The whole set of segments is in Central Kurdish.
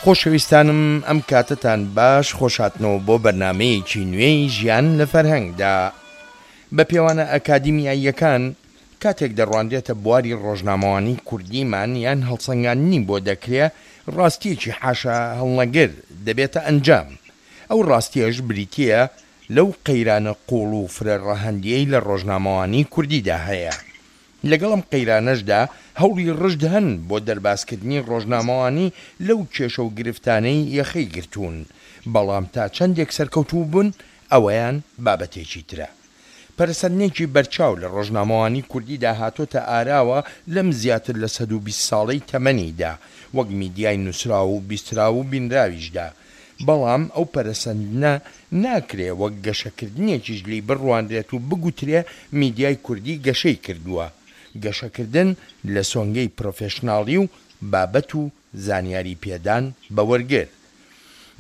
خۆشەویستانم ئەم کاتەتان باش خۆشهاتنەوە بۆ بەرنامەیەکی نوێی ژیان لە فەرهەنگدا. بە پێوانە ئەکادیمیاییەکان کاتێک دەڕوانرێتە بواری ڕۆژنامەوانی کوردیمان یان هەڵسەنگاندنی بۆ دەکرێ ڕاستییەکی حاشا هەڵنەگر دەبێتە ئەنجام ئەو ڕاستییەش بریتییە لەو قەیرانە قووڵ و فرە ڕەهەندییەی لە ڕۆژنامەوانی کوردیدا هەیە. لەگەڵ ئەم قەیرانەشدا هەوڵی ڕژد هەن بۆ دەربازکردنی ڕۆژنامەوانی لەو کێشە و گرفتانەی یەخەی گرتوون، بەڵام تا چەندێک سەرکەوتوو بوون ئەوەیان بابەتێکی ترە. پەرەسەندنێکی بەرچاو لە ڕۆژنامەوانی کوردیدا هاتۆتە ئاراوە لەم زیاتر لە 120 ساڵەی تەمەنیدا، وەک میدیای نووسراو و بیستراو و بینراویشدا، بەڵام ئەو پەرەسەندنە ناکرێ وەک گەشەکردنێکیش لێی بڕوانرێت و بگوترێ میدیای کوردی گەشەی کردووە. گەشەکردن لە سۆنگەی پرۆفێشناڵی و بابەت و زانیاری پێدان بە وەرگر.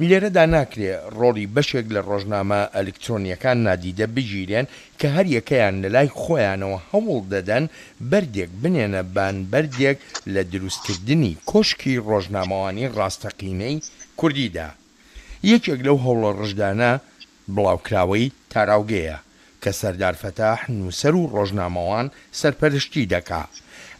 لێرەدا ناکرێ ڕۆڵی بەشێک لە ڕۆژنامە ئەلکترۆنییەکان نادیدە بگیرێن کە هەریەکەیان لەلای خۆیانەوە هەوڵ دەدەن بەردێک بنێنە بان بەردێک لە دروستکردنی کۆشکی ڕۆژنامەوانی ڕاستەقینەی کوردیدا. یەکێک لەو هەوڵە ڕژدانە بڵاوکراوەی تاراوگەیە کە سەردار فەتاح نووسەر و ڕۆژنامەوان سەرپەرشتی دەکا.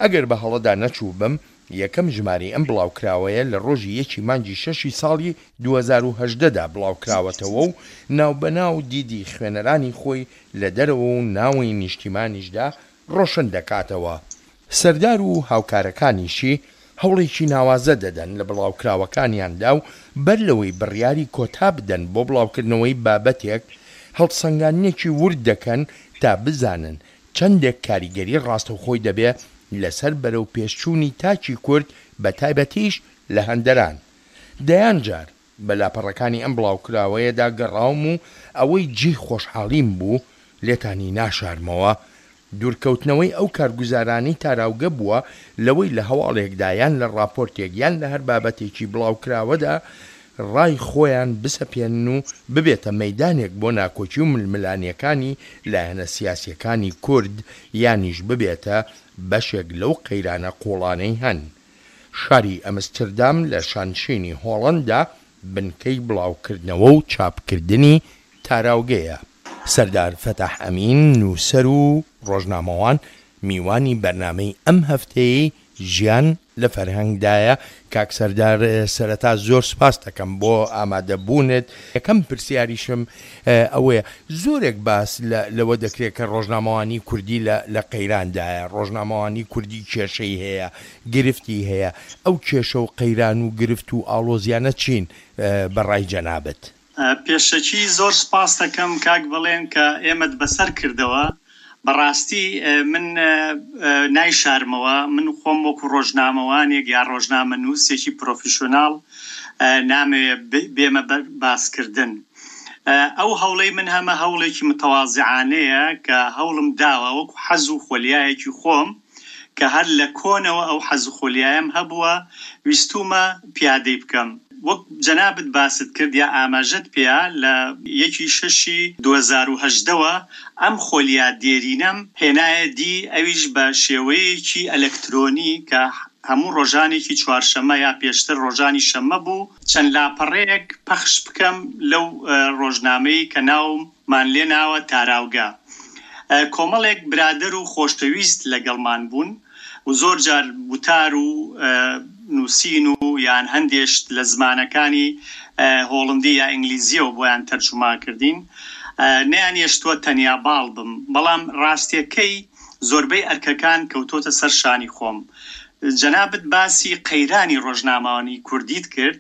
ئەگەر بە هەڵەدا نەچووبم یەکەم ژمارەی ئەم بڵاوکراوەیە لە ڕۆژی یەکی مانگی شەشی ساڵی 2018 دا بڵاوکراوەتەوە و ناوبەناو دیدی خوێنەرانی خۆی لە دەرەوە و ناوەی نیشتیمانیشدا ڕۆشن دەکاتەوە. سەردار و هاوکارەکانیشی هەوڵێکی ناوازە دەدەن لە بڵاوکراوەکانیاندا و بەر لەوەی بڕیاری کۆتا بدەن بۆ بڵاوکردنەوەی بابەتێک، هەڵسەنگاندنێکی ورد دەکەن تا بزانن چەندێک کاریگەری ڕاستەوخۆی دەبێ لەسەر بەرەوپێشچوونی تاکی کورد بەتایبەتیش لە هەندەران. دەیان جار بە لاپەڕەکانی ئەم بڵاوکراوەیەدا گەڕاوم و ئەوەی جێی خۆشحاڵیم بوو لێتانی ناشارمەوە، دوورکەوتنەوەی ئەو کارگوزارانەی تاراوگە بووە لەوەی لە هەواڵێکدا یان لە ڕاپۆرتێک یان لە هەر بابەتێکی بڵاوکراوەدا ڕای خۆیان بسەپێنن و ببێتە مەیدانێک بۆ ناکۆکی و ململانێکانی لایەنە سیاسیەکانی کورد یانیش ببێتە بەشێک لەو قەیرانە قووڵانەی هەن. شاری ئەمستردام لە شانشینی هۆڵەندا بنکەی بڵاوکردنەوە و چاپکردنی تاراوگەیە. سەردار فەتاح ئەمین، نووسەر و ڕۆژنامەوان، میوانی بەرنامەی ئەم هەفتەیەی ژیان لە فەرهەنگدایە. کاک سەردار سەرەتا زۆر سوپاست دەکەم بۆ ئامادەبوونت. یەکەم پرسیاریشم ئەوەیە، زۆرێک باس لەوە دەکرێت کە ڕۆژنامەوانی کوردی لە قەیراندایە، ڕۆژنامەوانی کوردی کێشەی هەیە، گرفتی هەیە، ئەو کێشە و قەیران و گرفت و ئاڵۆزیانە چین بە ڕای جەنابت؟ پێشەکی زۆر سوپاست دەکەم کاک بەڵێن کە ئێمەت بەسەر کردەوە، بەڕاستی من نایشارمەوە من خۆم وەکو ڕۆژنامەوانێک یا ڕۆژنامەنووسێکی پرۆفیشۆناڵ نامەوێ بێمە بەر باسکردن. ئەو هەوڵەی من هەمە هەوڵێکی متەوازعانەیە کە هەوڵم داوە وەکو حەز و خۆلیایەکی خۆم کە هەر لە کۆنەوە ئەو حەز و خۆلیایەم هەبووە ویستوومە پیادەی بکەم. وەک جەنابت باست کرد یا ئاماژەت پێیا لە یەکی شەشی 2018 وە ئەم خۆلیا دێرینەم هێنایە دی ئەویش بە شێوەیەکی ئەلەکترۆنی کە هەموو ڕۆژانێکی چوارشەممە یا پێشتر ڕۆژانی شەممە بوو چەند لاپەڕەیەک پەخش بکەم لەو ڕۆژنامەی کە ناومان لێ ناوە تاراوگە. کۆمەڵێک برادەر و خۆشەویست لەگەڵمان بوون و زۆر جار وتار و نووسین و یان هەندێ شت لە زمانەکانی هۆڵندی یا ئینگلیزییەوە بۆیان تەرجوما کردین. نەیانێشتووە تەنیا باڵ بم. بەڵام ڕاستییەکەی زۆربەی ئەرکەکان کەوتۆتە سەر شانی خۆم. جەنابت باسی قەیرانی ڕۆژنامەوانی کوردیت کرد،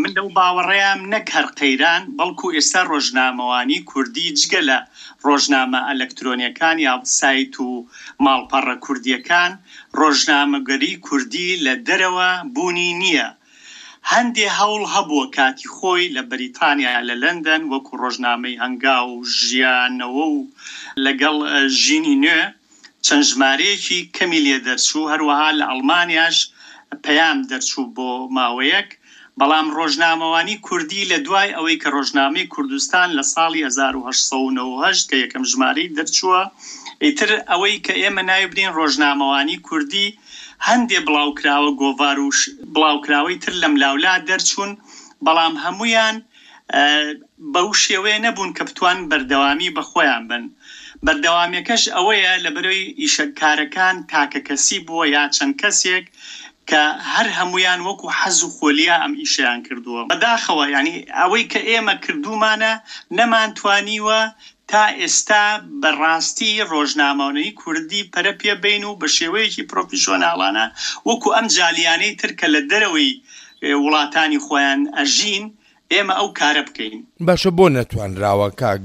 من لەو باوەڕەیام نەک هەر قەیران، بەڵکو ئێستا ڕۆژنامەوانی کوردی جگە لە ڕۆژنامە ئەلەکترۆنیەکان یا سایت و ماڵپەڕە کوردیەکان، ڕۆژنامەگەری کوردی لە دەرەوە بوونی نییە. هەندێ هەوڵ هەبووە کاتی خۆی لە بەریتانیا لە لەندەن وەکو ڕۆژنامەی هەنگاو و ژیانەوە و لەگەڵ ژینی نوێ، چەند ژمارەیەکی کەمی لێ دەرچوو، هەروەها لە ئەڵمانیاش پەیام دەرچوو بۆ ماوەیەک، بەڵام ڕۆژنامەوانی کوردی لە دوای ئەوەی کە ڕۆژنامەی کوردستان لە ساڵی 1898 کە یەکەم ژمارەی دەرچووە، ئیتر ئەوەی کە ئێمە ناوی بنێین ڕۆژنامەوانی کوردی. هەندێ بڵاوکراوە گۆڤار و بڵاوکراوەی تر لەملاولا دەرچوون، بەڵام هەموویان بەو شێوەیە نەبوون کە بتوانن بەردەوامی بە خۆیان بەن. بەردەوامیەکەش ئەوەیە لەبەرەی ئیشە کارەکان تاکەکەسی بووە یا چەند کەسێک کە هەر هەموویان وەکو حەز و خۆلیا ئەم ئیشەیان کردووە. بەداخەوە یانی ئەوەی کە ئێمە کردوومانە نەمانتوانیوە تا ئێستا بە ڕاستی ڕۆژنامەوانی کوردی پەرە پێ بەین و بە شێوەیەکی پرۆفیشۆناڵانە وەکو ئەم جالیانەی تر کە لە دەرەوەی وڵاتانی خۆیان ئەژین ئێمە ئەو کارە بکەین. باشە بۆ نەتوانراوە کاک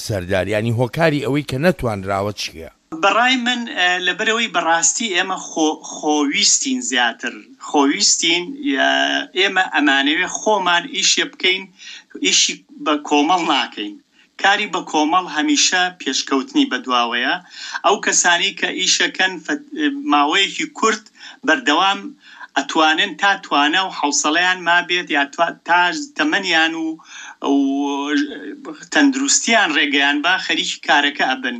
سەردار یانی هۆکاری ئەوەی کە نەتوانراوە چیە؟ بەڕای من لەبەرئەوەی بەڕاستی ئێمە خۆ خۆویستین زیاتر خۆویستین ئێمە ئەمانەوێ خۆمان ئیشێ بکەین ئیشی بە کۆمەڵ ناکەین کاری بە کۆمەڵ هەمیشە پێشکەوتنی بەدواوەیە، ئەو کەسانەی کە ئیشەکەن ماوەیەکی کورت بەردەوام ئەتوانن تا توانا و حەوسەڵەیان مابێت یا تا تەمەنیان و تەندروستیان ڕێگەیان با خەریکی کارەکە ئەبن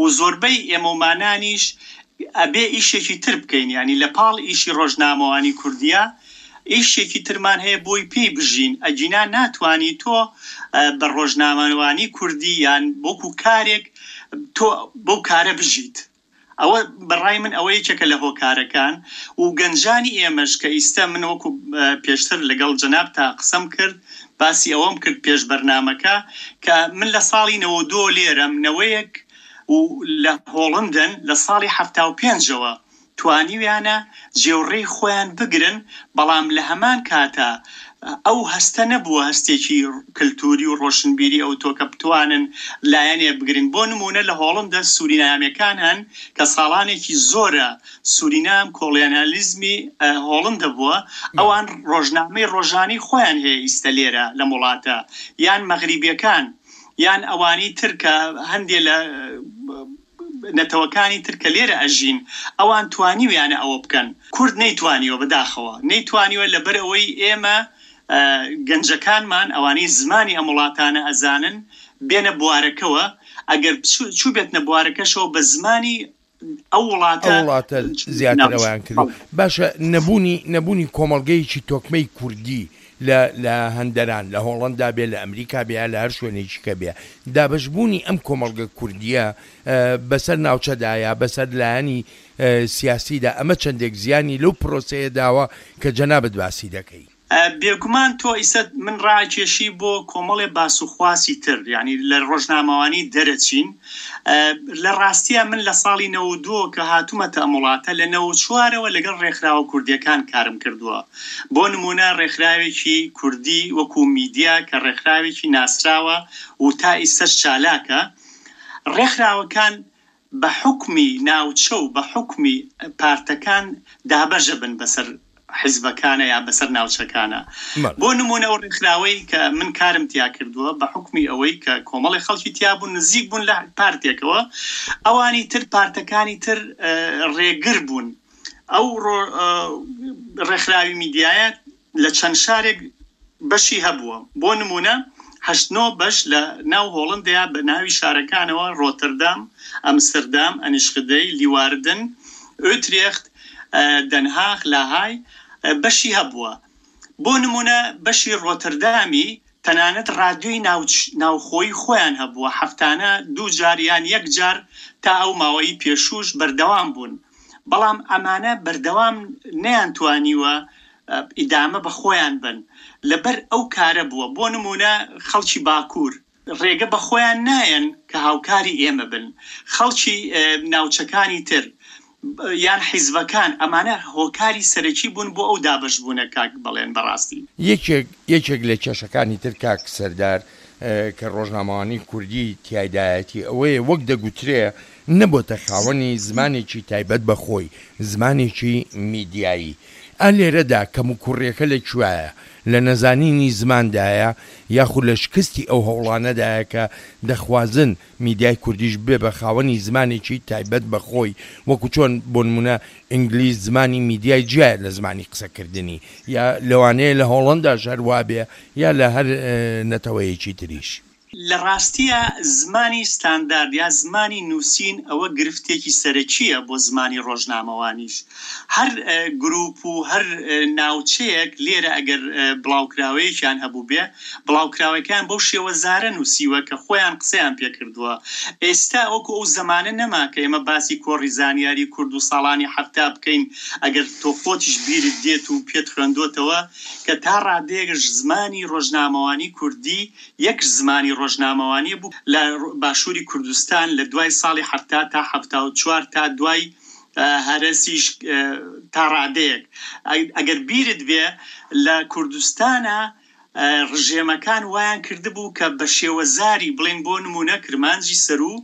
و زۆربەی ئێمەومانانیش ئەبێ ئیشێکی تر بکەین یانی لە پاڵ ئیشی ڕۆژنامەوانی کوردیا ئیشێکی ترمان هەیە بۆی پێی بژین ئەگینا ناتوانی تۆ بە ڕۆژنامەوانی کوردی یان وەکو کارێک تۆ بەو کارە بژیت ئەوە بەڕای من ئەوە یەکێکە لە هۆکارەکان و گەنجانی ئێمەش کە ئیستە من وەکو پێشتر لەگەڵ جەنابتا قسەم کرد باسی ئەوەم کرد پێش بەرنامەکە کە من لە ساڵی 92 لێرەم نەوەیەک و لە هۆڵندن لە ساڵی 75ەوە توانیویانە جێوڕێی خۆیان بگرن، بەڵام لە هەمان کاتا ئەو هەستە نەبووە هەستێکی کلتوری و ڕۆشنبیری ئەوتۆ کە بتوانن لایەنێ بگرن، بۆ نموونە لە هۆڵندە سورینامێکان هەن کە ساڵانێکی زۆرە سورینام کۆڵیانالیزمی هۆڵندە بووە، ئەوان ڕۆژنامەی ڕۆژانەی خۆیان هەیە ئیستە لێرە لەم وڵاتە، یان مەغریبیەکان یان ئەوانی تر کە هەندێ لە. نەتەوەکانی تر کە لێرە ئەژین ئەوان توانیویانە ئەوە بکەن کورد نەیتوانیوە بەداخەوە نەیتوانیوە لەبەر ئەوەی ئێمە گەنجەکانمان ئەوانەی زمانی ئەم وڵاتانە ئەزانن بێنە بوارەکەوە ئەگەر چوبێتنە بوارەکەشەوە بە زمانی ئەو وڵاتە ئەو وڵاتە زیاتر ئەوەیان کردوە باشە نەبوونی نەبوونی کۆمەڵگەیەکی تۆکمەی کوردی لە لە هەندەران، لە هۆڵەندا بێ، لە ئەمریکا بێ یا لە هەر شوێنێکی کە بێ، دابەشبوونی ئەم کۆمەڵگە کوردییە بەسەر ناوچەدا یا بەسەر لایەنی سیاسیدا ئەمە چەندێک زیانی لەو پرۆسەیە داوە کە جەنابت باسی دەکەی؟ بێگومان تۆ ئیسە من ڕائەکێشی بۆ کۆمەڵێ باس و خواسی تر یانی لە ڕۆژنامەوانی دەرەچین لە ڕاستیا من لە ساڵی 92 کە هاتوومەتە ئەم وڵاتە لە 94ەوە لەگەڵ ڕێکخراوە کوردیەکان کارم کردووە بۆ نموونە ڕێکخراوێکی کوردی وەکوو میدیا کە ڕێکخراوێکی ناسراوە و تا ئیستەش چالاکە، ڕێکخراوەکان بە حوکمی ناوچە و بە حوکمی پارتەکان دابەشەبن بەسەر حیزبەکانە یا بەسەر ناوچەکانە. بۆ نموونە ئەو ڕێکخراوەی کە من کارم تیا کردووە بە حوکمی ئەوەی کە کۆمەڵی خەڵکی تیا بوون نزیک بوون لە پارتێکەوە، ئەوانی تر پارتەکانی تر ڕێگر بوون. ئەو ڕێکخراوی میدیایە لە چەند شارێک بەشی هەبووە، بۆ نموونە هەشت نۆ بەش لە ناو هۆڵندەیا بە ناوی شارەکانەوە، ڕۆتەردام، ئەمستردام، ئەنیشخدەی، لیواردن، ئوترێخت، دەنهاخ، لاهای، بەشی هەبووە. بۆ نموونە بەشی ڕۆتەردامی تەنانەت ڕادیۆی ناوخۆیی خۆیان هەبووە، هەفتانە دوو جار یان یەک جار تا ئەو ماوەی پێشووش بەردەوام بوون، بەڵام ئەمانە بەردەوام نەیانتوانیوە ئیدامە بە خۆیان بەن، لەبەر ئەو کارە بووە، بۆ نموونە خەڵکی باکوور ڕێگە بە خۆیان نایەن کە هاوکاری ئێمە بن، خەڵکی ناوچەکانی تر یان حیزبەکان، ئەمانە هۆکاری سەرەکی بوون بۆ ئەو دابەشبوونە کاک بەڵێن بەڕاستی. یەکێک یەکێک لە کێشەکانی تر کاک سەردار کە ڕۆژنامەوانی کوردی تیایدایەتی ئەوەیە وەک دەگوترێ نەبۆتە خاوەنی زمانێکی تایبەت بە خۆی، زمانێکی میدیایی. ئا لێرەدا کەموکوڕیەکە لە کوایە؟ لە نەزانینی زماندایە یاخود لە شکستی ئەو هەوڵانەدایە کە دەخوازن میدیای کوردیش ببێ بە خاوەنی زمانێکی تایبەت بە خۆی وەکو چۆن بۆ نمونە ئینگلیز زمانی میدیای جیایە لە زمانی قسەکردنی یا لەوانەیە لە هۆڵەنداش هەر وابێ یا لە هەر نەتەوەیەکی تریش. لە ڕاستیا زمانی ستاندارد یا زمانی نووسین ئەوە گرفتێکی سەرەکییە بۆ زمانی ڕۆژنامەوانیش. هەر گرووپ و هەر ناوچەیەک لێرە ئەگەر بڵاوکراوەیەکیان هەبووبێ، بڵاوکراوەکەیان بەو شێوەزارە نووسیوە کە خۆیان قسەیان پێ کردووە. ئێستا وەکوو ئەو زەمانە نەما کە ئێمە باسی کۆڕی زانیاری کورد و ساڵانی 70 بکەین، ئەگەر تۆ خۆتیش بیرت دێت و پێت خوێندۆتەوە کە تا ڕادەیەک زمانی ڕۆژنامەوانی کوردی یەک زمانی ڕۆژنامەوانی بوو لە باشووری کوردستان لە دوای ساڵی 70 تا 74 تا دوای هەرەسیش تا ڕادەیەک. ئەگەر بیرت بێ لە کوردستانا ڕژێمەکان وایان کردبوو کە بە شێوەزاری بڵێین بۆ نموونە کرمانجی سەروو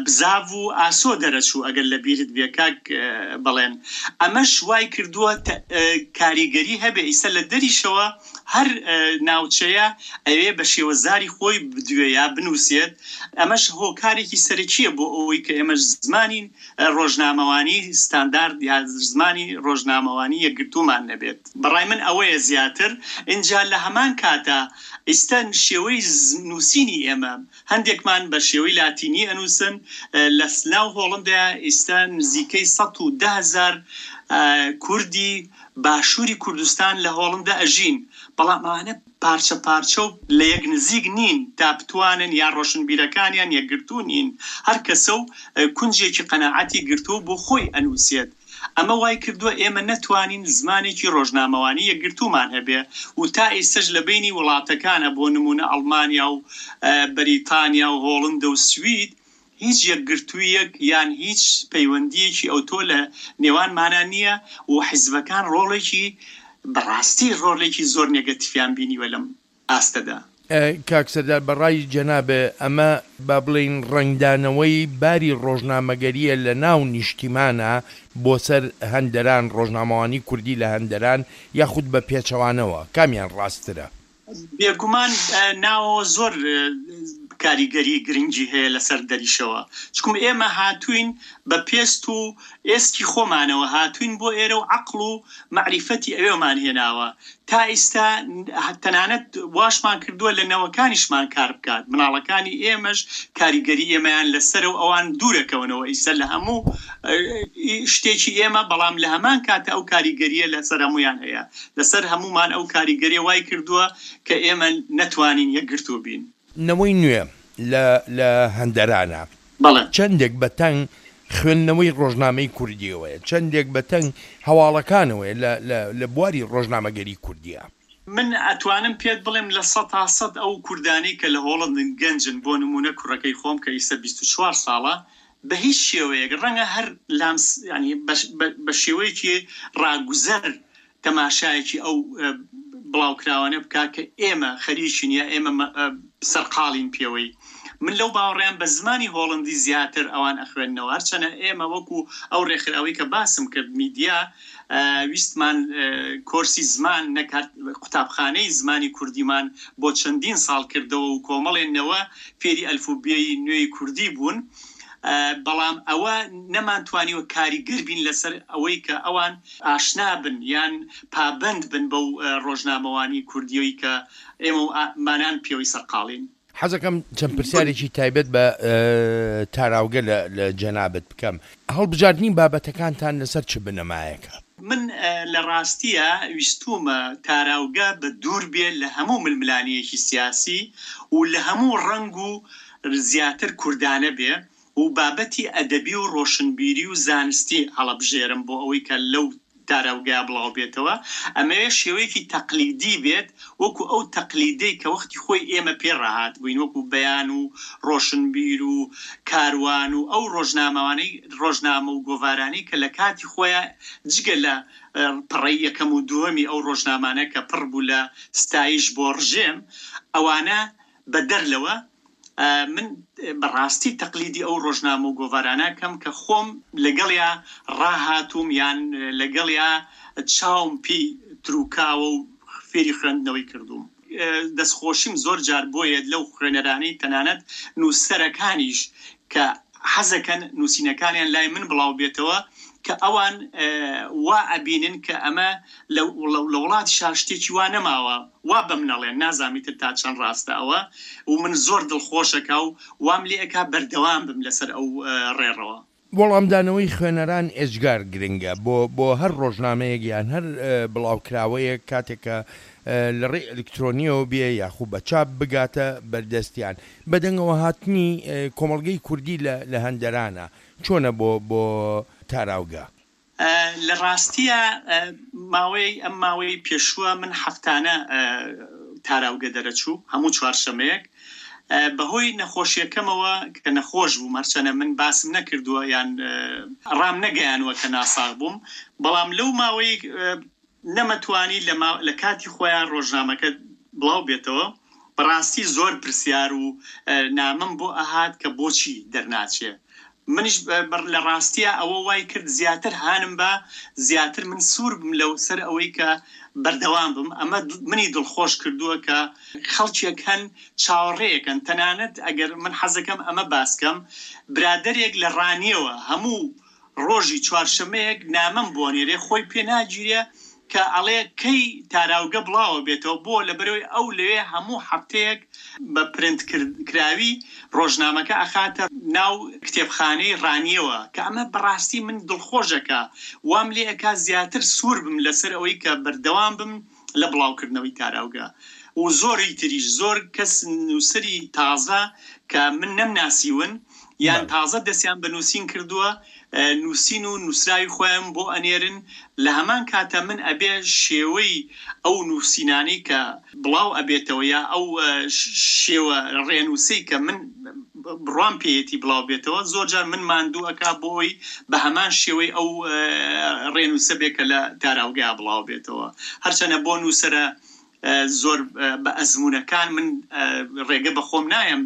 بزاڤ و ئاسۆ دەرەچوو ئەگەر لە بیرت بێ کاک بەڵێن ئەمەش وای کردووە کاریگەری هەبێ ئیسە لە دەریشەوە هەر ناوچەیە ئەوێ بە شێوەزاری خۆی بدوێ یا بنووسێت ئەمەش هۆکارێکی سەرەکییە بۆ ئەوەی کە ئێمەش زمانی ڕۆژنامەوانی ستاندارد یا زمانی ڕۆژنامەوانی یەکگرتوومان نەبێت. بەڕای من ئەوەیە زیاتر، ئینجا لە هەمان کاتا ئیستا شێوەی نووسینی ئێمە هەندێکمان بە شێوەی لاتینی ئەنووسن، لە ناو هۆڵندەیا ئیستا نزیکەی 110 هەزار کوردی باشووری کوردستان لە هۆڵندە ئەژین، بەڵام ئەوانە پارچە پارچە و لە یەک نزیک نین تا بتوانن یا ڕۆشنبیرەکانیان یەکگرتوو نین، هەر کەسە و کونجێکی قەناعەتی گرتووە و بۆ خۆی ئەنووسێت. ئەمە وای کردووە ئێمە نەتوانین زمانێکی ڕۆژنامەوانی یەکگرتوومان هەبێ و تا ئیستەش لە بەینی وڵاتەکانە بۆ نموونە ئەڵمانیا و بەریتانیا و هۆڵندە و سوید هیچ یەکگرتوویەک یان هیچ پەیوەندییەکی ئەوتۆ لە نێوانمانا نییە و حیزبەکان ڕۆڵێکی بەڕاستی ڕۆلێکی زۆر نێگەتیفیان بینیوە لەم ئاستەدا. کاک سەردار بە ڕای جەنابێ ئەمە با بڵێین ڕەنگدانەوەی باری ڕۆژنامەگەرییە لە ناو نیشتیمانا بۆ سەر هەندەران، ڕۆژنامەوانی کوردی لە هەندەران یاخود بە پێچەوانەوە کامیان ڕاستترە؟ بێگومان ناوەوە زۆر کاریگەری گرنگی هەیە لەسەر دەریشەوە، چکم ئێمە هاتووین بە پێست و ئێسکی خۆمانەوە هاتووین بۆ ئێرە و عەقڵ و مەعریفەتی ئەوێمان هێناوە تا ئیستا تەنانەت واشمان کردووە لە نەوەکانیشمان کار بکات مناڵەکانی ئێمەش کاریگەری ئێمەیان لەسەرە و ئەوان دوورەکەونەوە ئیستا لە هەموو شتێکی ئێمە بەڵام لە هەمان کاتە ئەو کاریگەریە لەسەر هەموویان هەیە لەسەر هەموومان ئەو کاریگەریە وای کردووە کە ئێمە نەتوانین یەکگرتوو بین. نەوەی نوێ لە لە هەندەرانە. بەڵێ. چەندێک بە تەنگ خوێندنەوەی ڕۆژنامەی کوردیەوەیە، چەندێک بە تەنگ هەواڵەکانەوەیە لە لە لە بواری ڕۆژنامەگەری کوردیە. من ئەتوانم پێت بڵێم 100% ئەو کوردانەی کە لە هۆڵەندن گەنجن بۆ نموونە کوڕەکەی خۆم کە ئیستا 24 ساڵە بە هیچ شێوەیەک ڕەنگە هەر لامس یانی بە شێوەیەکی ڕاگوزەر تەماشایەکی ئەو بڵاوکراوانە بکا کە ئێمە خەریکین یا ئێمە سەرقاڵین پێوەی. من لەو باوەڕەیام بە زمانی هۆڵندی زیاتر ئەوان ئەخوێننەوە هەرچەنە ئێمە وەکو ئەو ڕێکخراوەی کە باسم کرد میدیا ویستمان کۆرسی زمان نەک هەر قوتابخانەی زمانی کوردیمان بۆ چەندین ساڵ کردەوە و کۆمەڵێ نەوە فێری ئەلفوبێی نوێی کوردی بوون بەڵام ئەوە نەمانتوانیوە کاریگەر بین لەسەر ئەوەی کە ئەوان ئاشنا بن یان پابەند بن بەو ڕۆژنامەوانی کوردییەی کە ئێمە و مانان پێوەی سەرقاڵین. حەزەکەم چەند پرسیارێکی تایبەت بە تاراوگە لە جەنابت بکەم. هەڵبژاردنی بابەتەکانتان لەسەر چ بنەمایەکە؟ من لە ڕاستییا ویستوومە تاراوگە بە دوور بێ لە هەموو ململانێیەکی سیاسی و لە هەموو ڕەنگ و زیاتر کوردانە بێ و بابەتی ئەدەبی و ڕۆشنبیری و زانستی هەڵەبژێرم بۆ ئەوەی کە لەو تاراوگەیا بڵاو بێتەوە، ئەمەوێ شێوەیەکی تەقلیدی بێت وەکو ئەو تەقلیدەی کە وەختی خۆی ئێمە پێ ڕاهاتبووین وەکو بەیان و ڕۆشنبیر و کاروان و ئەو ڕۆژنامەوانەی ڕۆژنامە و گۆڤارانەی کە لە کاتی خۆیا جگە لە پەڕەی یەکەم و دووەمی ئەو ڕۆژنامانە کە پڕ بوو لە ستایش بۆ ڕژێم ئەوانە بەدەر لەوە من بە ڕاستی تەقلیدی ئەو ڕۆژنامە و گۆڤارانە کەم کە خۆم لەگەڵیا ڕاهاتووم یان لەگەڵیا چاوم پێی تروکاوە و فێری خوێندنەوەی کردووم. دەستخۆشیم زۆر جار بۆیەت لەو خوێنەرانەی تەنانەت نووسەرەکانیش کە حەزەکەن نووسینەکانیان لای من بڵاو بێتەوە. کە ئەوان وا ئەبینن کە ئەمە لە وڵاتیشا شتێکی وا نەماوە وا بەمن ئەڵێن نازانم ئیتر تا چەند ڕاستە ئەوە و من زۆر دڵخۆشەکا و وام لێ ئەکا بەردەوام بم لەسەر ئەو ڕێڕەوە. وەڵامدانەوەی خوێنەران ئێجگار گرنگە بۆ بۆ هەر ڕۆژنامەیەک یان هەر بڵاوکراوەیەک کاتێک کە لە ڕێی ئەلکترۆنیەوە بێ یاخو بە چاپ بگاتە بەردەستیان. بەدەنگەوە هاتنی کۆمەڵگەی کوردی لە لە هەندەرانە چۆنە بۆ بۆ تاراوگە؟ لە ڕاستیا ماوەی ئەم ماوەی پێشووە من هەفتانە تاراوگە دەرەچوو هەموو چوارشەمەیەک بەهۆی نەخۆشیەکەمەوە کە نەخۆش بووم هەرچەنە من باسم نەکردووە یان ڕام نەگەیانوە کە ناساغ بووم بەڵام لەو ماوەی نەمەتوانی لە کاتی خۆیان ڕۆژنامەکە بڵاو بێتەوە بەڕاستی زۆر پرسیار و نامەم بۆ ئەهات کە بۆچی دەرناچێ منیش لە ڕاستیا ئەوە وای کرد زیاتر هانم با زیاتر من سوور بم لەو سەر ئەوەی کە بەردەوام بم ئەمە منی دڵخۆش کردووە کە خەڵکێک هەن چاوەڕێیەکەن تەنانەت ئەگەر من حەزەکەم ئەمە باس کەم برادەرێک لە ڕانیەوە هەموو ڕۆژی چوارشەمەیەک نامەم بۆ ئەنێرێ خۆی پێ ناگیرێ کە ئەڵێ کەی تاراوگە بڵاوە بێتەوە بۆ لەبەرئەوەی ئەو لەوێ هەموو هەفتەیەک بە پرنت کراوی ڕۆژنامەکە ئەخاتە ناو کتێبخانەی ڕانیەوە کە ئەمە بەڕاستی من دڵخۆش ئەکا وام لێ ئەکا زیاتر سوور بم لەسەر ئەوەی کە بەردەوام بم لە بڵاوکردنەوەی تاراوگە و زۆری تریش زۆر کەس نووسەری تازە کە من نەمناسیون یان تازە دەستیان بە نووسین کردووە نووسین و نووسراوی خۆیان بۆ ئەنێرن لە هەمان کاتا من ئەبێ شێوەی ئەو نووسینانەی کە بڵاو ئەبێتەوە یا ئەو شێوە ڕێنووسەی کە من بڕوام پێیەتی بڵاو بێتەوە زۆر جار من ماندوو ئەکا بۆ ئەوەی بە هەمان شێوەی ئەو ڕێنووسە بێ کە لە تاراوگەیا بڵاو بێتەوە هەرچەنە بۆ نووسەرە زۆر بە ئەزموونەکان من ڕێگە بە خۆم نایەم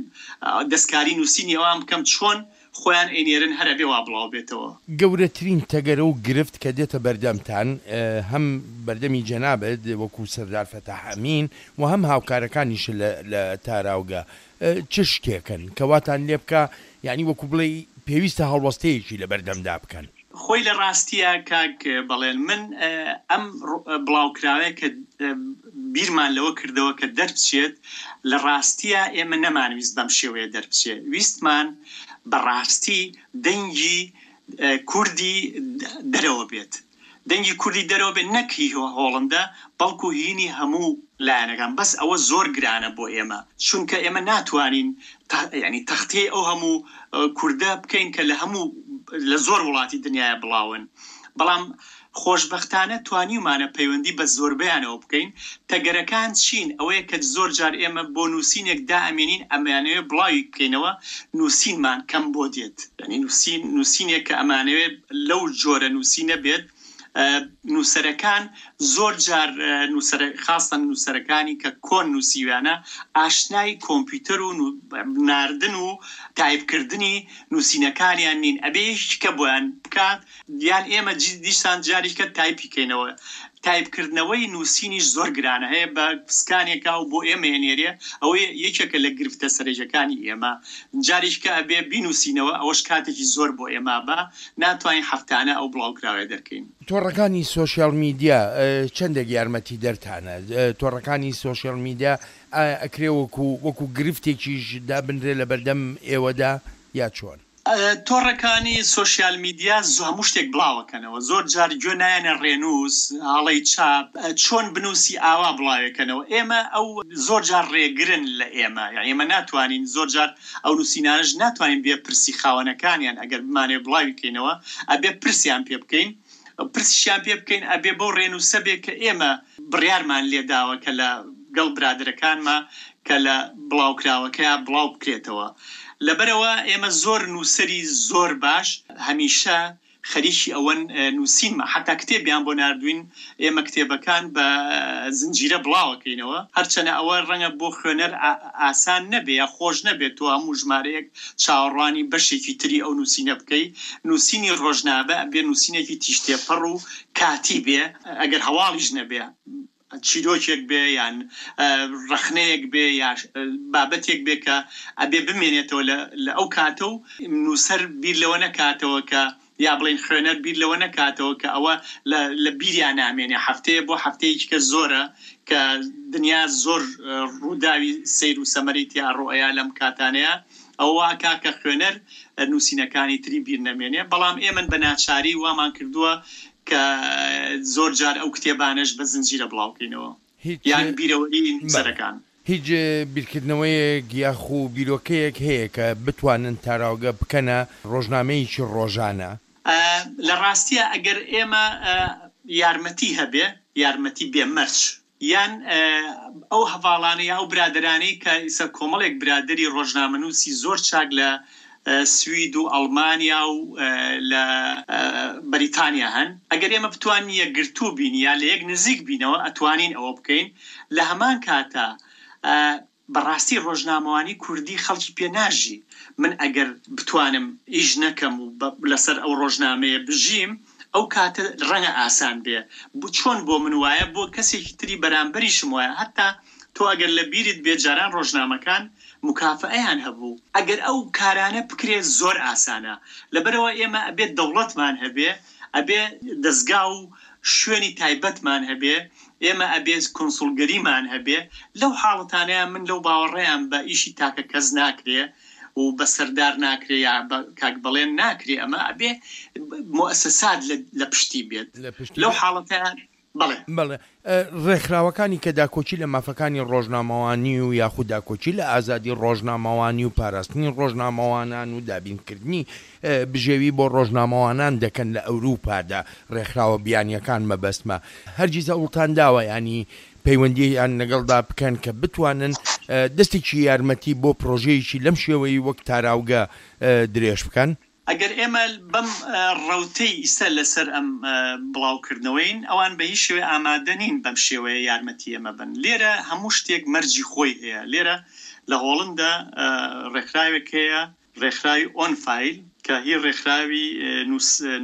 دەستکاری نووسینی ئەوان بکەم چۆن خۆیان ئەینێرن هەر ئەبێ وا بڵاو بێتەوە. گەورەترین تەگەرە و گرفت کە دێتە بەردەمتان هەم بەردەمی جەنابت وەکو سەردار فەتاح ئەمین و هەم هاوکارەکانیشت لە لە تاراوگە چ شتێکن کە واتان لێ بکا یانی وەکو بڵێی پێویستە هەڵوەستەیەکی لە بەردەمدا بکەن؟ خۆی لە ڕاستیا کاک بەڵێن من ئەم بڵاوکراوەیە کە بیرمان لەوە کردەوە کە دەربچێت لە ڕاستیا ئێمە نەمانویست بەم شێوەیە دەربچێ ویستمان بە ڕاستی دەنگی کوردی دەرەوە بێت دەنگی کوردی دەرەوە بێت نەک هی هۆڵندا بەڵکو هینی هەموو لایەنەکان بەس ئەوە زۆر گرانە بۆ ئێمە چونکە ئێمە ناتوانین یانی تەختیەی ئەو هەموو کوردە بکەین کە لە هەموو لە زۆر وڵاتی دنیاە بڵاون بەڵام خۆشبەختانە توانیومانە پەیوەندی بە زۆربەیانەوە بکەین تەگەرەکان چین ئەوەیە کە زۆر جار ئێمە بۆ نووسینێک دائەمێنین ئەمانەوێ بڵاوی بکەینەوە نووسینمان کەم بۆ دێت یانی نووسین نووسینێک کە ئەمانەوێ لەو جۆرە نووسینە بێت نووسەرەکان زۆر جار نووسەرە خاستەن نووسەرەکانی کە کۆن نووسیویانە ئاشنای کۆمپیوتەر و ناردن و تایپکردنی نووسینەکانیان نین ئەبێ یەکێکە بۆیان بکات یان ئێمە دیسان جاریکە تایپی کەینەوە تایپ کردنەوەی نووسینیش زۆر گرانە هەیە بە سکانێکا و بۆ ئێمە ئەنێرێ ئەوە یەکێکە لە گرفتە سەرەکیەکانی ئێمە جاریکە ئەبێ بینووسینەوە ئەوەش کاتێکی زۆر بۆ ئێمە بە ناتوانین هەفتانە ئەو بڵاوکراوەیە دەرکەین. تۆڕەکانی سۆشیال میدیا چەندێک یارمەتیدەرتانە؟ تۆڕەکانی سۆشیال میدیا ئایا ئەکرێ وەکو وەکو گرفتێکیش دابنرێ لەبەردەم ئێوەدا یا چۆن؟ تۆڕەکانی سۆشیال میدیا هەموو شتێک بڵاوەکەنەوە زۆر جار گوێ نایەنە ڕێنووس هەڵەی چاپ چۆن بنووسی ئاوا بڵاوێکەنەوە ئێمە ئەو زۆر جار ڕێگرن لە ئێمە یانی ئێمە ناتوانین زۆر جار ئەو نووسینانەش ناتوانین بێ پرسی خاوەنەکانیان ئەگەر بمانەوێ بڵاوی کەینەوە ئەبێ پرسیان پێ بکەین پرسیشیان پێ بکەین ئەبێ بەو ڕێنووسە بێ کە ئێمە بڕیارمان لێ داوە کە لە گەڵ برادەرەکانما کە لە بڵاوکراوەکەیا بڵاو بکرێتەوە لەبەرئەوە ئێمە زۆر نووسەری زۆر باش هەمیشە خەریکی ئەوەن نووسینمە حەتا کتێبیان بۆ ناردووین ئێمە کتێبەکان بە زنجیرە بڵاوەکەینەوە هەرچەنە ئەوە ڕەنگە بۆ خوێنەر ئاسان نەبێ یا خۆش نەبێ تۆ هەموو ژمارەیەک چاوەڕوانی بەشێکی تری ئەو نووسینە بکەی نووسینی ڕۆژنامە ئەبێ نووسینێکی تیژتێپەڕ و کاتی بێ ئەگەر هەواڵیش نەبێ چیرۆکێک بێ یان ڕەخنەیەک بێ یا بابەتێک بێ کە ئەبێ بمێنێتەوە لە ئەو کاتە و نووسەر بیر لەوە نەکاتەوە کە. یا بڵێین خوێنەر بیر لەوە نەکاتەوە کە ئەوە لە لە بیریا نامێنێ هەفتەیە بۆ هەفتەیەکی کە زۆرە کە دنیا زۆر ڕووداوی سەیر و سەمەرەی تیا ڕوئەیا لەم کاتانەیا ئەوە وا ئەکا کە خوێنەر نووسینەکانی تری بیر نەمێنێ بەڵام ئێمن بە ناچاری وامان کردووە کە زۆر جار ئەو کتێبانەش بە زنجیرە بڵاو کەینەوە هیچ یان بیرەوەری بەڵێ نووسەرەکان. هیچ بیرکردنەوەیەک یاخو بیرۆکەیەک هەیە کە بتوانن تاراوگە بکەنە ڕۆژنامەیەکی ڕۆژانە؟ لە ڕاستیا ئەگەر ئێمە یارمەتی هەبێ، یارمەتی بێ مەرج، یان ئەو هەڤاڵانە یا ئەو برادەرانەی کە ئیستا کۆمەڵێک برادەری ڕۆژنامەنووسی زۆر چاک لە سوید و ئەڵمانیا و لە بەریتانیا هەن، ئەگەر ئێمە بتوانین یەکگرتوو بین یا لە یەک نزیک بینەوە ئەتوانین ئەوە بکەین، لە هەمان کاتا بەڕاستی ڕۆژنامەوانی کوردی خەڵکی پێ ناژی، من ئەگەر بتوانم ئیش نەکەم و لەسەر ئەو ڕۆژنامەیە بژیم ئەو کاتە ڕەنگە ئاسان بێ، چۆن بۆ من وایە بۆ کەسێکی تری بەرامبەریشم وایە، هەتا تۆ ئەگەر لە بیرت بێت جاران ڕۆژنامەکان موکافەئەیان هەبوو، ئەگەر ئەو کارانە بکرێ زۆر ئاسانە، لەبەرئەوە ئێمە ئەبێ دەوڵەتمان هەبێ، ئەبێ دەزگا و شوێنی تایبەتمان هەبێ، ئێمە ئەبێ کونسوڵگەریمان هەبێ، لەو حاڵەتانەیا من لەو باوەڕەیام بە ئیشی تاکە کەس ناکرێ و بە سەردار ناکرێ یا بە کاک بەڵێن ناکرێ، ئەمە ئەبێ موئەسەسات لە پشتی بێت، لەو حاڵەتەیا بەڵێ. بەڵێ. ڕێکخراوەکانی کە داکۆکی لە مافەکانی ڕۆژنامەوانی و یاخود داکۆکی لە ئازادی ڕۆژنامەوانی و پاراستنی ڕۆژنامەوانان و دابینکردنی بژێوی بۆ ڕۆژنامەوانان دەکەن لە ئەوروپادا، ڕێکخراوە بیانییەکان مەبەستمە، هەرگیز هەوڵتان داوە یانی پەیوەندییان لەگەڵدا بکەن کە بتوانن دەستێکی یارمەتی بۆ پڕۆژەیەکی لەم شێوەی وەک تاراوگە درێژ بکەن؟ ئەگەر ئێمە بەم ڕەوتەی ئیستا لەسەر ئەم بڵاوکردنەوەین، ئەوان بە هیچ شێوەیە ئامادە نین بەم شێوەیە یارمەتی ئێمە بەن. لێرە هەموو شتێک مەرجی خۆی هەیە. لێرە لە هۆڵندا ڕێکخراوێک هەیە، ڕێکخراوی ئۆن فایل، کە هی ڕێکخراوی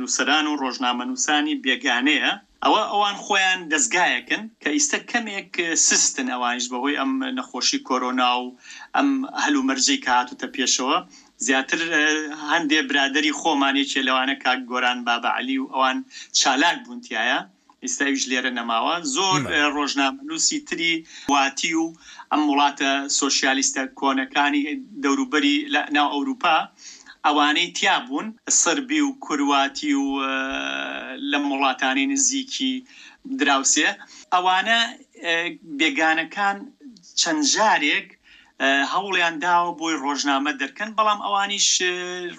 نووسەران و ڕۆژنامەنووسانی بێگانەیە. ئەوە ئەوان خۆیان دەزگایەکن کە ئیستە کەمێک سستن ئەوانیش بەهۆی ئەم نەخۆشی کۆرۆنا و ئەم هەلومەرجەی کە هاتوتە پێشەوە زیاتر هەندێ برادەری خۆمان یەکێ لەوانە کاک گۆران بابە عەلی و ئەوان چالاک بوون تیایا ئیستا ئەویش لێرە نەماوە زۆر ڕۆژنامەنووسی تری واتی و ئەم وڵاتە سۆشیالیستە کۆنەکانی دەوروبەری لە ناو ئەوروپا ئەوانەی تیا بوون، سربی و کرواتی و لەم وڵاتانەی نزیکی دراوسێ، ئەوانە بێگانەکان چەند جارێک هەوڵیان داوە بۆی ڕۆژنامە دەرکەن، بەڵام ئەوانیش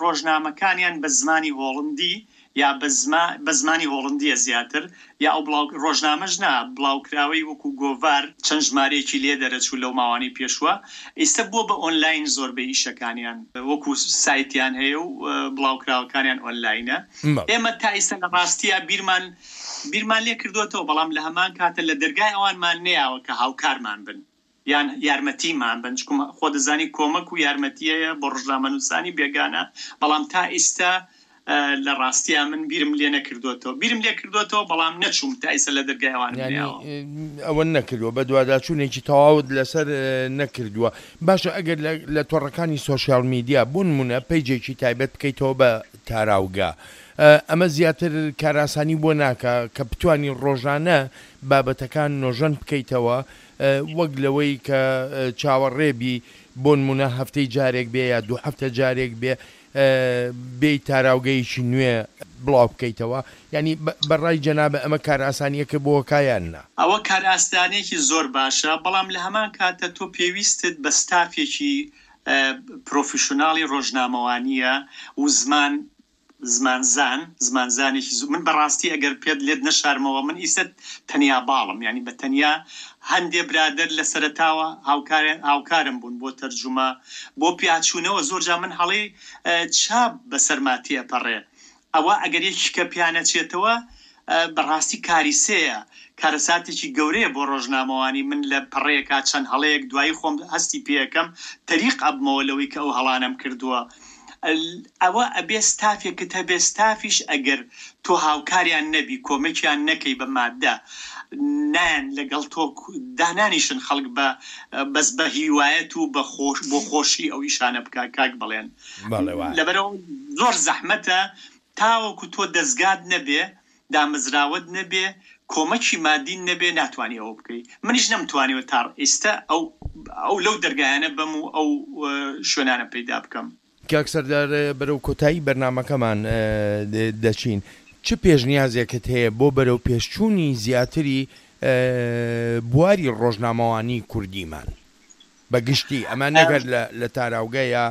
ڕۆژنامەکانیان بە زمانی هۆڵندی یا بە زما بە زمانی هۆڵندییە زیاتر یا ئەو بڵاو ڕۆژنامەش نا بڵاوکراوەی وەکوو گۆڤار چەند ژمارەیەکی لێ دەرەچوو لەو ماوانەی پێشووە ئیستە بووە بە ئۆنلاین زۆربەی ئیشەکانیان وەکوو سایتیان هەیە و بڵاوکراوەکانیان ئۆنلاینە ئێمە تا ئیستە لە ڕاستیا بیرمان بیرمان لێ کردۆتەوە بەڵام لە هەمان کاتە لە دەرگای ئەوانمان نەیاوە کە هاوکارمان بن. یان یارمەتیمان بن چکم خۆ دەزانی کۆمەک و یارمەتی هەیە بۆ ڕۆژنامەنووسانی بێگانە بەڵام تا ئیستا لە ڕاستیا من بیرم لێ نەکردوێتەوە بیرم لێ کردوێتەوە بەڵام نەچووم تا ئیستا لە دەرگای ئەوانم یانی نەیاوە. ئەوە نەکردووە بەدواداچوونێکی تەواوت لەسەر نەکردووە باشە ئەگەر لە تۆڕەکانی سۆشیال میدیا بۆ نموونە پەیجێکی تایبەت بکەیتەوە بە تاراوگە ئەمە زیاتر کارئاسانی بۆ ناکا کە بتوانی ڕۆژانە بابەتەکان نۆژەن بکەیتەوە وەک لەوەی کە چاوەڕێ بی بۆنمونە هەفتەی جارێک بێ یا دوو هەفتە جارێک بێ بێی تاراوگەیەکی نوێ بڵاو بکەیتەوە یانی بە ڕای جەنابت ئەمە کارئاسانیەکە بۆ کا یان نا؟ ئەوە کارئاسانیەکی زۆر باشە بەڵام لە هەمان کاتە تۆ پێویستت بە ستافێکی پرۆفیشناڵی ڕۆژنامەوانیە و زمان زمانزان، زمانزانێکی زۆر، من بەڕاستی ئەگەر پێت لێت نەشارمەوە من ئیستە تەنیا باڵم یانی بە تەنیا هەندێ برادەر لە سەرەتاوە هاوکار هاوکارم بوون بۆ تەرجومە بۆ پیاچوونەوە زۆر جار من هەڵەی چاپ بەسەرما تێئەپەڕێ ئەوە ئەگەر یەکیکە پیا نەچێتەوە بەڕاستی کاریسەیە کارەساتێکی گەورەیە بۆ ڕۆژنامەوانی من لە پەڕەیەکا چەند هەڵەیەک دوایی خۆم هەستی پێ ئەکەم تەریق ئەبمەوە لەوەی کە ئەو هەڵانەم کردووە ئەوە ئەبێ ستافێکت هەبێ ستافیش ئەگەر تۆ هاوکاریان نەبی کۆمەکیان نەکەی بە مادە نایەن لەگەڵ تۆ دانانیشن خەڵک بە بەس بە هیوایەت و بە خۆش بۆ خۆشی ئەو ئیشانە بکا کاک بەڵێن بەڵێ وایە. لەبەرئەوە زۆر زەحمەتە. تاوەکو تۆ دەزگات نەبێ، دامەزراوەت نەبێ، کۆمەکی مادیت نەبێ ناتوانی ئەوە بکەی. منیش نەمتوانیوە تا ئیستە ئەو ئەو لەو دەرگایانە بەم و ئەو شوێنانە پەیدا بکەم. کاک سەردار بەرەو کۆتایی بەرنامەکەمان دەچین، چ پێشنیازێکت هەیە بۆ بەرەو پێشچوونی زیاتری بواری ڕۆژنامەوانی کوردیمان بە گشتی، ئەمە نەک هەر لە تاراوگە یا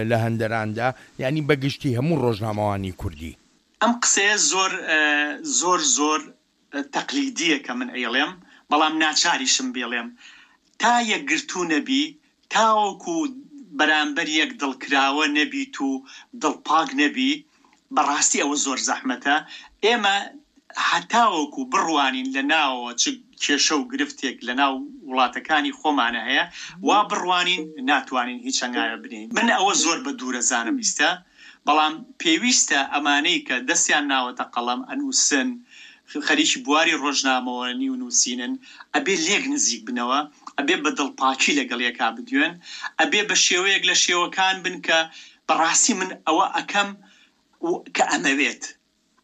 لە هەندەراندا، یانی بە گشتی هەموو ڕۆژنامەوانی کوردی؟ ئەم قسەیە زۆر زۆر زۆر تەقلیدیە کە من ئەیڵێم بەڵام ناچاریشم بیڵێم تا یەکگرتوو نەبی تاوەکو بەرامبەر یەک دڵ کراوە نەبیت و دڵ پاک نەبی بەڕاستی ئەوە زۆر زەحمەتە ئێمە هەتاوەکو بڕوانین لە ناوەوە چ کێشە و گرفتێک لە ناو وڵاتەکانی خۆمانە هەیە وا بڕوانین ناتوانین هیچ هەنگاوێ بنێین من ئەوە زۆر بە دوورەزانم ئیستا بەڵام پێویستە ئەمانەی کە دەستیان ناوەتە قەڵەم ئەنووسن، خەریکی بواری ڕۆژنامەوانی و نووسینن، ئەبێ لێک نزیک بنەوە، ئەبێ بە دڵپاکی لەگەڵ یەکا بدوێن، ئەبێ بە شێوەیەک لە شێوەکان بن کە بەڕاستی من ئەوە ئەکەم کە ئەمەوێت.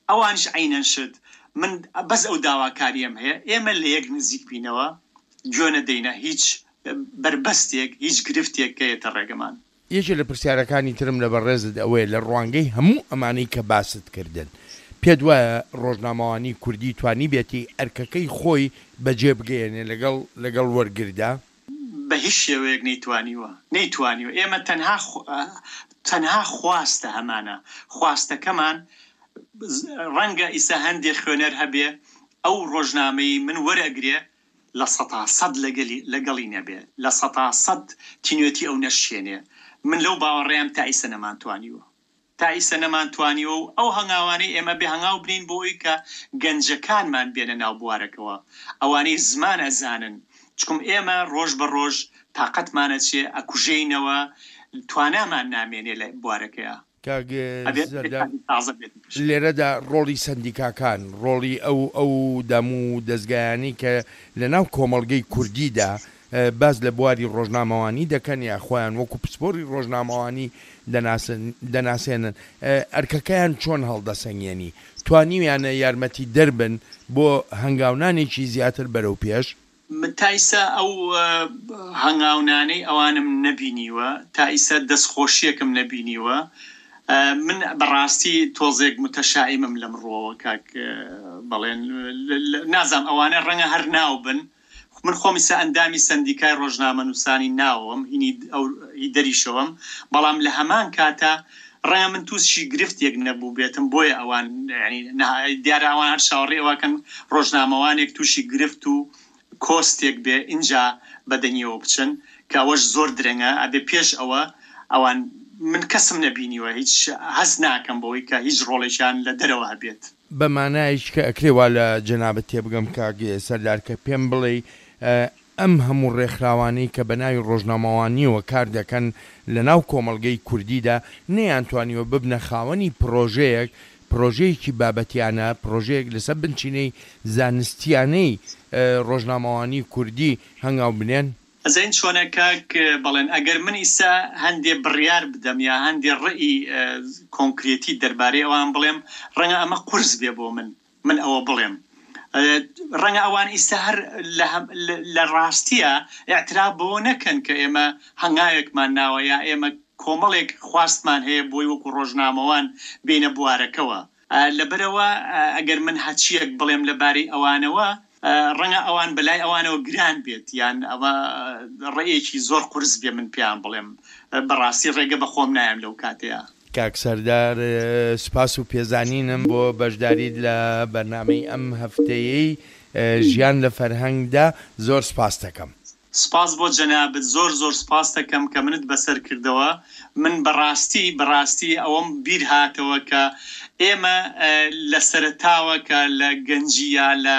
ئەوانیش عەینەن شت. من بەس ئەو داواکارییەم هەیە ئێمە لە یەک نزیک بینەوە، گوێ نەدەینە هیچ بەربەستێک، هیچ گرفتێک کە یەتە ڕێگەمان. یەکێ لە پرسیارەکانی ترم لە بەڕێزت ئەوەیە لە ڕوانگەی هەموو ئەمانەی کە باست کردن پێت وایە ڕۆژنامەوانی کوردی توانیبێتی ئەرکەکەی خۆی بەجێ بگەیەنێ لەگەڵ لەگەڵ وەرگردا؟ بە هیچ شێوەیەک نەیتوانیوە نەیتوانیوە ئێمە تەنها تەنها خواستە هەمانە خواستەکەمان ڕەنگە ئیسا هەندێ خوێنەر هەبێ ئەو ڕۆژنامەی من وەرئەگرێ 100% لەگەلی لەگەڵی نەبێ 100% تینوێتی ئەو نەشکێنێ من لەو باوەڕەیام تا ئیسە نەمانتوانیوە تا ئیسە نەمانتوانیوە و ئەو هەنگاوانەی ئێمە بێ هەنگاو بنێین بۆ ئەوی کە گەنجەکانمان بێنە ناو بوارەکەوە ئەوانەی زمان ئەزانن چکم ئێمە ڕۆژ بە ڕۆژ تاقەتمان ئەچێ ئەکوژێینەوە توانامان نامێنێ لە بوارەکەیا. کاک سەردار لێرەدا ڕۆڵی سەندیکاکان، ڕۆڵی ئەو ئەو دام و دەزگایانەی کە لە ناو کۆمەڵگەی کوردیدا باس لە بواری ڕۆژنامەوانی دەکەن یا خۆیان وەکو پسپۆری ڕۆژنامەوانی دەناسن دەناسێنن ئەرکەکەیان چۆن هەڵدەسەنگێنی؟ توانیویانە یارمەتیدەر بن بۆ هەنگاونانێکی زیاتر بەرەو پێش؟ من تا ئیسە ئەو هەنگاونانەی ئەوانم نەبینیوە، تا ئیسە دەستخۆشیەکم نەبینیوە، من بەڕاستی تۆزێک متەشائیمم لەم ڕووەوە کاک بەڵێن، نازانم ئەوانە ڕەنگە هەر ناو بن، من خۆم ئیسە ئەندامی سەندیکای ڕۆژنامەنووسانی ناوەوەم، هینی ئەو هی دەریشەوەم، بەڵام لە هەمان کاتا ڕەنگە من تووشی گرفتێک نەبووبێتم بۆیە ئەوان یانی دیارە ئەوان هەر چاوەڕێی ئەوەکەن ڕۆژنامەوانێک تووشی گرفت و کۆستێک بێ ئینجا بە دەنگیەوە بچن کە ئەوەش زۆر درەنگە ئەبێ پێش ئەوە ئەوان من کەسم نەبینیوە هیچ هەست ناکەم بەوەی کە هیچ ڕۆڵێکیان لە دەرەوە هەبێت. بە مانایەکی کە ئەکرێ وا لە جەنابت تێبگەم کاک سەردار کە پێم بڵێی ئەم هەموو ڕێکخراوانەی کە بە ناوی ڕۆژنامەوانییەوە کار دەکەن لە ناو کۆمەڵگەی کوردیدا نەیانتوانیوە ببنە خاوەنی پڕۆژەیەک، پڕۆژەیەکی بابەتیانە، پڕۆژەیەک لەسەر بنچینەی زانستیانەی ڕۆژنامەوانی کوردی هەنگاو بنێن؟ ئەزانی چۆنە کاک بەڵێن، ئەگەر من ئیستا هەندێ بڕیار بدەم یا هەندێ ڕەئی کۆنکرێتی دەربارەی ئەوان بڵێم، ڕەنگە ئەمە قورس بێ بۆ من. من ئەوە بڵێم ڕەنگە ئەوان ئیستا هەر لە ڕاستیە ئیعتراف بەوە نەکەن کە ئێمە هەنگاوێکمان ناوە یا ئێمە کۆمەڵێک خواستمان هەیە بۆی وەکو ڕۆژنامەوان بێینە بوارەکەوە لەبەرئەوە ئەگەر من هەچیەک بڵێم لەبارەی ئەوانەوە ڕەنگە ئەوان بەلای ئەوانەوە گران بێت یان ئەوە ڕێیەکی زۆر قورس بێ من پێیان بڵێم بەڕاستی ڕێگە بە خۆم نایەم لەو کاتەیا. کاک سەردار سوپاس و پێزانینم بۆ بەشداریت لە بەرنامەی ئەم هەفتەیەی ژیان لە فەرهەنگدا زۆر سوپاستەکەم. سپاس بۆ جەنابت زۆر زۆر سپاستەکەم کە منت بەسەر کردەوە من بەڕاستی بەڕاستی ئەوەم بیر هاتەوە کە ئێمە لە سەرەتاوە کە لە گەنجی یا لە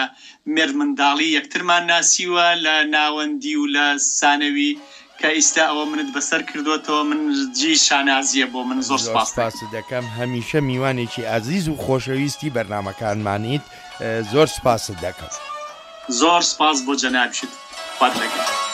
مێردمنداڵی یەکترمان ناسیوە لە ناوەندی و لە سانەوی کە ئیستا ئەوە منت بەسەر کردۆتەوە من جێی شانازیە بۆ من زۆر زۆر سپاستەکەم. سپاست دەکەم هەمیشە میوانێکی ئازیز و خۆشەویستی بەرنامەکانمانیت زۆر سپاست دەکەم. زۆر سپاس بۆ جەنابیشت خوات لەگەڵ.